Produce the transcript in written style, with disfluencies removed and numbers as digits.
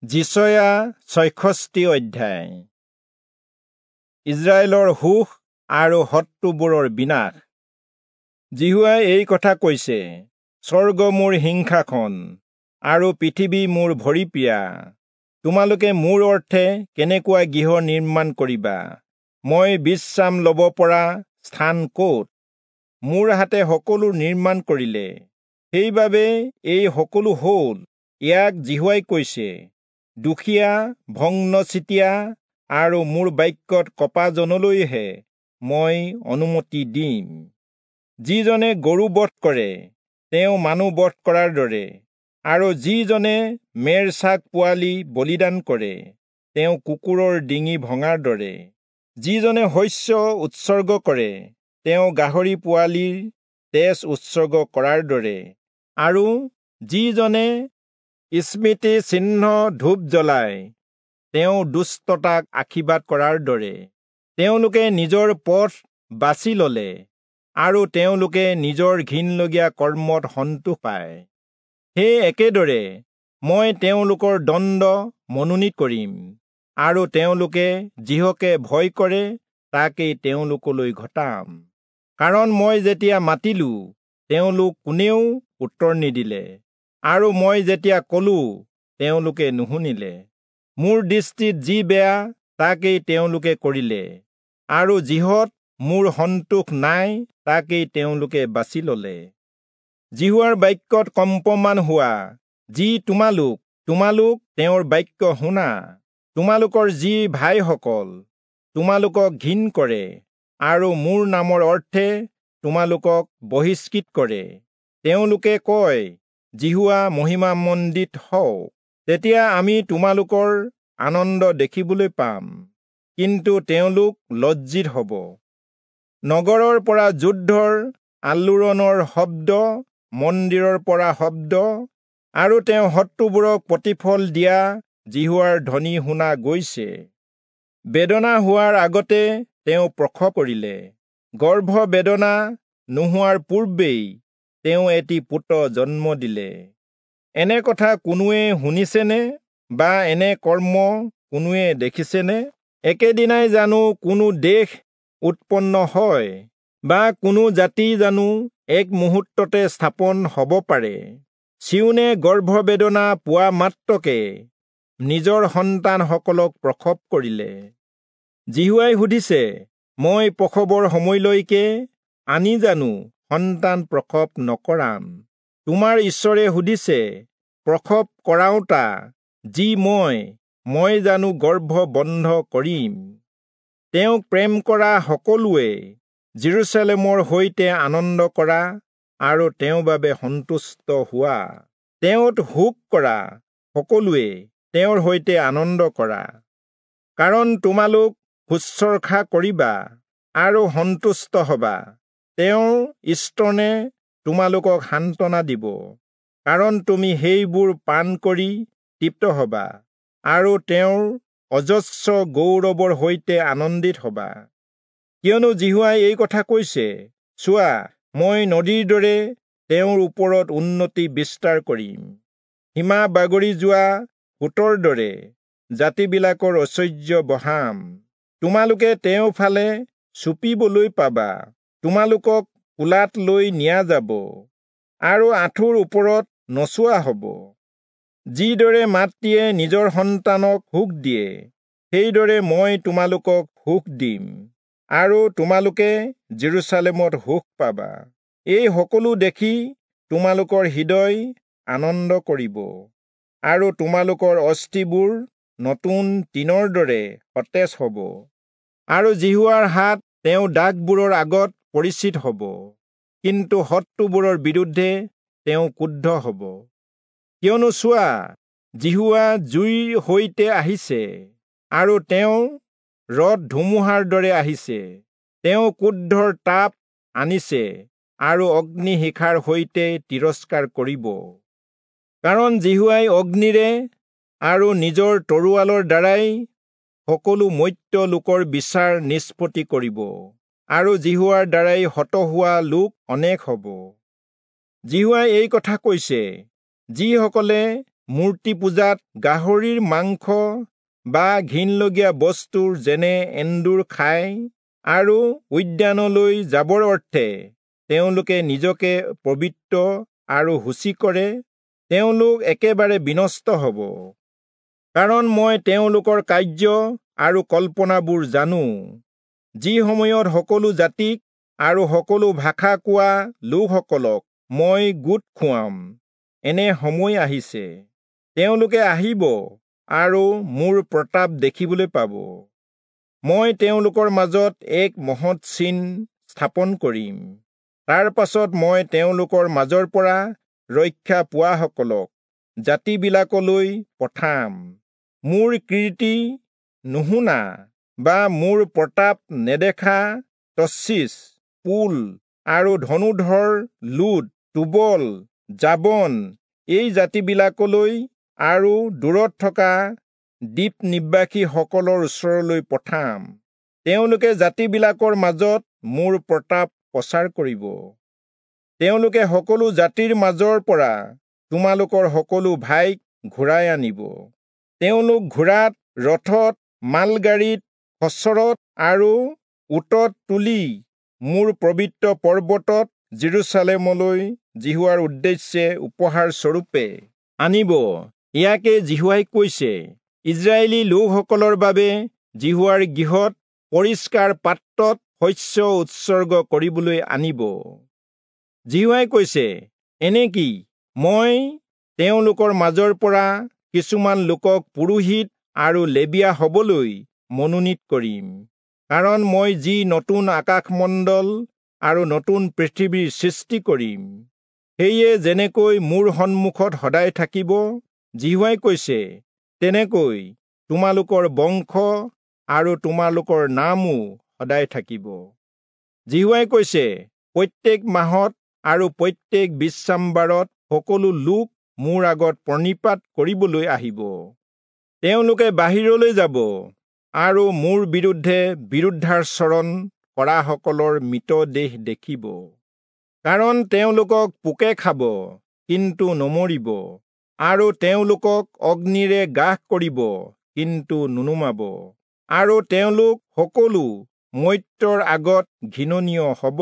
যিচয়া 66 অধ্যায়। ইস্ৰায়েলৰ সুখ আৰু শত্ৰুবোৰৰ বিনাশ। যিহোৱাই এই কথা কৈছে, স্বৰ্গ মোৰ সিংহাসন আৰু পৃথিৱী মোৰ ভৰিপীৰা। তোমালোকে মোৰ অৰ্থে কেনেকুৱা গৃহ নিৰ্মাণ কৰিবা? মই বিশ্ৰাম ল'ব পৰা স্থান ক'ত? মোৰ হাতে সকলো নিৰ্মাণ কৰিলে, সেইবাবে এই সকলো হ'ল। ইয়াক যিহোৱাই কৈছে, দুখীয়া, ভগ্নচিতীয়া আৰু মোৰ বাক্যত কঁপাজনলৈহে মই অনুমতি দিম। যিজনে গৰু বধ কৰে, তেওঁ মানুহ বধ কৰাৰ দৰে, আৰু যিজনে মেৰ ছাগ পোৱালি বলিদান কৰে, তেওঁ কুকুৰৰ ডিঙি ভঙাৰ দৰে। যিজনে শস্য উৎসৰ্গ কৰে, তেওঁ গাহৰি পোৱালিৰ তেজ উৎসৰ্গ কৰাৰ দৰে, আৰু যিজনে স্মৃতি চিহ্ন ধূপ জ্বলায়, তেওঁ দুষ্টতাক আশীৰ্বাদ কৰাৰ দৰে। তেওঁলোকে নিজৰ পথ বাছি ললে আৰু তেওঁলোকে নিজৰ ঘিণলগীয়া কৰ্মত সন্তোষ পায়। সেই একেদৰে মই তেওঁলোকৰ দণ্ড মনোনীত কৰিম, আৰু তেওঁলোকে যিহকে ভয় কৰে তাকেই তেওঁলোকলৈ ঘটাম। কাৰণ মই যেতিয়া মাতিলো, তেওঁলোক কোনেও উত্তৰ নিদিলে, আৰু মই যেতিয়া কলো, তেওঁলোকে নুশুনিলে। মোৰ দৃষ্টিত যি বেয়া, তাকেই তেওঁলোকে কৰিলে, আৰু যিহত মোৰ সন্তোষ নাই, তাকেই তেওঁলোকে বাছি ললে। যিহোৱাৰ বাক্যত কম্পমান হোৱা, যি তোমালোক তেওঁৰ বাক্য শুনা। তোমালোকৰ যি ভাইসকল তোমালোকক ঘিণ কৰে আৰু মোৰ নামৰ অৰ্থে তোমালোকক বহিষ্কৃত কৰে, তেওঁলোকে কয়, যিহোৱা মহিমামণ্ডিত হওক। তেতিয়া আমি তোমালোকৰ আনন্দ দেখিবলৈ পাম, কিন্তু তেওঁলোক লজ্জিত হ'ব। নগৰৰ পৰা যুদ্ধৰ আলোড়নৰ শব্দ, মন্দিৰৰ পৰা শব্দ, আৰু তেওঁ শত্ৰুবোৰক প্ৰতিফল দিয়া যিহোৱাৰ ধ্বনি শুনা গৈছে। বেদনা হোৱাৰ আগতে তেওঁ প্ৰসৱ কৰিলে, গৰ্ভ বেদনা নোহোৱাৰ পূৰ্বেই তেওঁ এটি পুত্ৰ জন্ম দিলে। এনে কথা কোনোৱে শুনিছেনে, বা এনে কৰ্ম কোনোৱে দেখিছেনে? একেদিনাই জানো কোনো দেশ উৎপন্ন হয়, বা কোনো জাতি জানো এক মুহূৰ্ততে স্থাপন হ'ব পাৰে? চিয়োনে গৰ্ভবেদনা পোৱা মাত্ৰকে নিজৰ সন্তানসকলক প্ৰসৱ কৰিলে। যিহোৱাই সুধিছে, মই প্ৰসৱৰ সময়লৈকে আনি জানো সন্তান প্ৰসৱ নকৰাম? তোমাৰ ঈশ্বৰে সুধিছে, প্ৰসৱ কৰাওঁতা যি মই জানো গৰ্ভ বন্ধ কৰিম? তেওঁক প্ৰেম কৰা সকলোৱে যিৰূচালেমৰ সৈতে আনন্দ কৰা আৰু তেওঁৰ বাবে সন্তুষ্ট হোৱা। তেওঁত শোক কৰা সকলোৱে তেওঁৰ সৈতে আনন্দ কৰা, কাৰণ তোমালোক শুশ্ৰূষা কৰিবা আৰু সন্তুষ্ট হবা। তেওঁৰ স্তনে তোমালোকক সান্তনা দিব, কাৰণ তুমি সেইবোৰ পান কৰি তৃপ্ত হবা আৰু তেওঁৰ অজস্ৰ গৌৰৱৰ সৈতে আনন্দিত হবা। কিয়নো যিহোৱাই এই কথা কৈছে, চোৱা, মই নদীৰ দৰে তেওঁৰ ওপৰত উন্নতি বিস্তাৰ কৰিম, সীমা বাগৰি যোৱা সোঁতৰ দৰে জাতিবিলাকৰ ঐশ্বৰ্য বঢ়াম। তোমালোকে তেওঁৰ ফালে চুপিবলৈ পাবা, তোমালোকক কোলাত লৈ নিয়া যাব আৰু আঁঠুৰ ওপৰত নচোৱা হ'ব। যিদৰে মাতৃয়ে নিজৰ সন্তানক সুখ দিয়ে, সেইদৰে মই তোমালোকক সুখ দিম, আৰু তোমালোকে যিৰূচালেমত সুখ পাবা। এই সকলো দেখি তোমালোকৰ হৃদয় আনন্দ কৰিব, আৰু তোমালোকৰ অস্থিবোৰ নতুন তৃণৰ দৰে সতেজ হ'ব, আৰু যিহোৱাৰ হাত তেওঁ দাসবোৰৰ আগত পৰিচিত হ'ব, কিন্তু শত্ৰুবোৰৰ বিৰুদ্ধে তেওঁ ক্ৰুদ্ধ হ'ব। কিয়নো চোৱা, যিহোৱা জুইৰ সৈতে আহিছে, আৰু তেওঁ ৰথ ধুমুহাৰ দৰে আহিছে। তেওঁ ক্ৰোধৰ তাপ আনিছে আৰু অগ্নিশিখাৰ সৈতে তিৰস্কাৰ কৰিব। কাৰণ যিহোৱাই অগ্নিৰে আৰু নিজৰ তৰোৱালৰ দ্বাৰাই সকলো মৰ্ত্য লোকৰ বিচাৰ নিষ্পত্তি কৰিব, আৰু যিহোৱাৰ দ্বাৰাই হত হোৱা লোক অনেক হ'ব। যিহোৱাই এই কথা কৈছে, যিসকলে মূৰ্তি পূজাত গাহৰিৰ মাংস বা ঘিণলগীয়া বস্তুৰ যেনে এন্দুৰ খায় আৰু উদ্যানলৈ যাবৰ অৰ্থে তেওঁলোকে নিজকে পবিত্ৰ আৰু শুচি কৰে, তেওঁলোক একেবাৰে বিনষ্ট হ'ব। কাৰণ মই তেওঁলোকৰ কাৰ্য আৰু কল্পনাবোৰ জানো। যি সময়ত সকলো জাতিক আৰু সকলো ভাষা কোৱা লোকসকলক মই গোট খুৱাম, এনে সময় আহিছে, তেওঁলোকে আহিব আৰু মোৰ প্ৰতাপ দেখিবলৈ পাব। মই তেওঁলোকৰ মাজত এক মহৎ চিন স্থাপন কৰিম। তাৰ পাছত মই তেওঁলোকৰ মাজৰ পৰা ৰক্ষা পোৱাসকলক জাতিবিলাকলৈ পঠাম। মোৰ কীৰ্তি নুশুনা বা মোৰ প্ৰতাপ নেদেখা তৰ্চীচ, পুল আৰু ধনুধৰ লুদ, টোবল, যাবন এই জাতিবিলাকলৈ আৰু দূৰত থকা দ্বীপ নিবাসীসকলৰ ওচৰলৈ পঠাম। তেওঁলোকে জাতিবিলাকৰ মাজত মোৰ প্ৰতাপ প্ৰচাৰ কৰিব। তেওঁলোকে সকলো জাতিৰ মাজৰ পৰা তোমালোকৰ সকলো ভাইক ঘূৰাই আনিব। তেওঁলোক ঘোঁৰাত, ৰথত, মালগাড়ীত, খচৰত আৰু উটত তুলি মোৰ পবিত্ৰ পৰ্বতত যিৰূচালেমলৈ যিহোৱাৰ উদ্দেশ্যে উপহাৰ স্বৰূপে আনিব। ইয়াকে যিহোৱাই কৈছে, ইস্ৰায়েলী লোকসকলৰ বাবে যিহোৱাৰ গৃহত পৰিষ্কাৰ পাত্ৰত শস্য উৎসৰ্গ কৰিবলৈ আনিব। যিহোৱাই কৈছে, এনেকি মই তেওঁলোকৰ মাজৰ পৰা কিছুমান লোকক পুৰোহিত আৰু লেবীয়া হবলৈ মনোনীত কৰিম। কাৰণ মই যি নতুন আকাশমণ্ডল আৰু নতুন পৃথিৱীৰ সৃষ্টি কৰিম, সেয়ে যেনেকৈ মোৰ সন্মুখত সদায় থাকিব, যিহোৱাই কৈছে, তেনেকৈ তোমালোকৰ বংশ আৰু তোমালোকৰ নামো সদায় থাকিব। যিহোৱাই কৈছে, প্ৰত্যেক মাহত আৰু প্ৰত্যেক বিশ্ৰামবাৰত সকলো লোক মোৰ আগত প্ৰণিপাত কৰিবলৈ আহিব। তেওঁলোকে বাহিৰলৈ যাব আৰু মোৰ বিৰুদ্ধে বিৰুদ্ধাচৰণ কৰাসকলৰ মৃতদেহ দেখিব। কাৰণ তেওঁলোকক পোকে খাব, কিন্তু নমৰিব, আৰু তেওঁলোকক অগ্নিৰে গ্ৰাস কৰিব, কিন্তু নুনুমাব, আৰু তেওঁলোক সকলো মৰ্ত্যৰ আগত ঘৃণনীয় হ'ব।